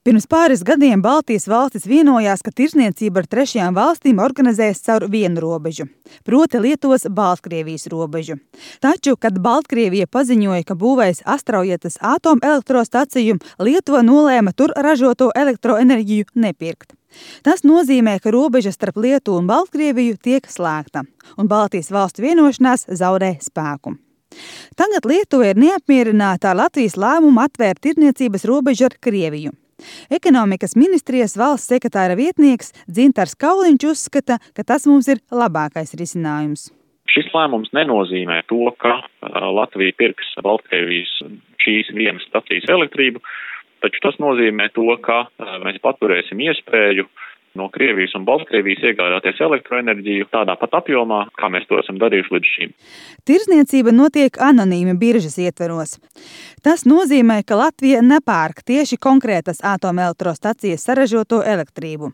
Pirms pāris gadiem Baltijas valstis vienojās, ka tirdzniecība ar trešajām valstīm organizēs caur vienu robežu, proti Lietuvas Baltkrievijas robežu. Taču, kad Baltkrievija paziņoja, ka būvēs Astraujetas atomelektrostaciju, Lietuva nolēma tur ražoto elektroenerģiju nepirkt. Tas nozīmē, ka robeža starp Lietuvu un Baltkrieviju tiek slēgta, un Baltijas valstu vienošanās zaudē spēku. Tagad Lietuva ir neapmierināta ar Latvijas lēmumu atvērt tirdzniecības robežu ar Krieviju. Ekonomikas ministrijas valsts sekretāra vietnieks Dzintars Kauliņš uzskata, ka tas mums ir labākais risinājums. Šis lēmums nenozīmē to, ka Latvija pirks Baltkrievijas šīs vienas stacijas elektrību, taču tas nozīmē to, ka mēs paturēsim iespēju no Krievijas un Baltkrievijas iegādāties elektroenerģiju tādā pat apjomā, kā mēs to esam darījuši līdz šim. Tirdzniecība notiek anonīmi biržas ietveros. Tas nozīmē, ka Latvija nepērk tieši konkrētas atomelektrostacijas saražoto elektrību.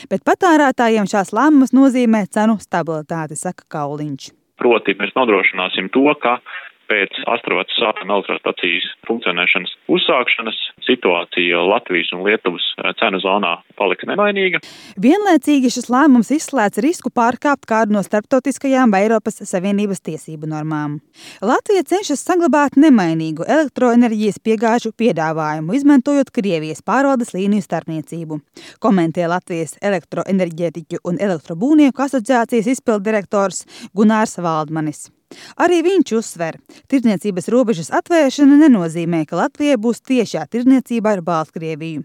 Bet patērētājiem šās lēmumus nozīmē cenu stabilitāti, saka Kauliņš. Proti, mēs nodrošināsim to, ka pēc Astraujetas atomelektrostacijas funkcionēšanas uzsākšanas situācija Latvijas un Lietuvas cenu zonā paliks nemainīga. Vienlaicīgi šis lēmums izslēdz risku pārkāpt kādu no starptautiskajām vai Eiropas Savienības tiesību normām. Latvija cenšas saglabāt nemainīgu elektroenerģijas piegāžu piedāvājumu, izmantojot Krievijas pārvaldes līniju starpniecību, komentē Latvijas elektroenerģētiķu un elektrobūvnieku asociācijas izpilddirektors Gunārs Valdmanis. Arī viņš uzsver, tirdzniecības robežas atvēršana nenozīmē, ka Latvijai būs tiešā tirdzniecība ar Baltkrieviju.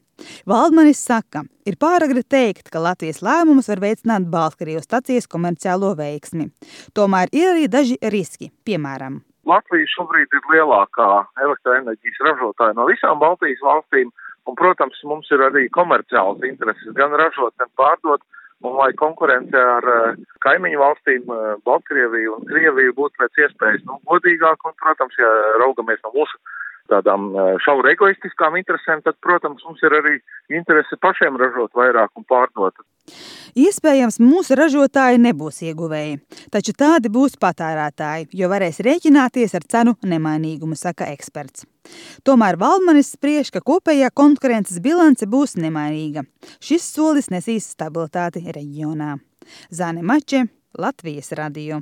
Valdmanis saka, ir pāragri teikt, ka Latvijas lēmums var veicināt Baltkrievijas stacijas komerciālo veiksmi. Tomēr ir arī daži riski, piemēram. Latvija šobrīd ir lielākā elektroenerģijas ražotāja no visām Baltijas valstīm, un, protams, mums ir arī komerciāls intereses gan ražot, gan pārdot. Un lai konkurence ar kaimiņu valstīm, Baltkrieviju un Krieviju būtu pēc iespējas godīgāk, un, protams, ja raugamies no mūsu tādām šauri egoistiskām interesēm, tad, protams, mums ir arī interese pašiem ražot vairāk un pārdot. Iespējams, mūsu ražotāji nebūs ieguvēji, taču tādi būs patērētāji, jo varēs rēķināties ar cenu nemainīgumu, saka eksperts. Tomēr Valdmanis spriež, ka kopējā konkurences bilance būs nemainīga. Šis solis nesīs stabilitāti reģionā. Zane Mače, Latvijas radio.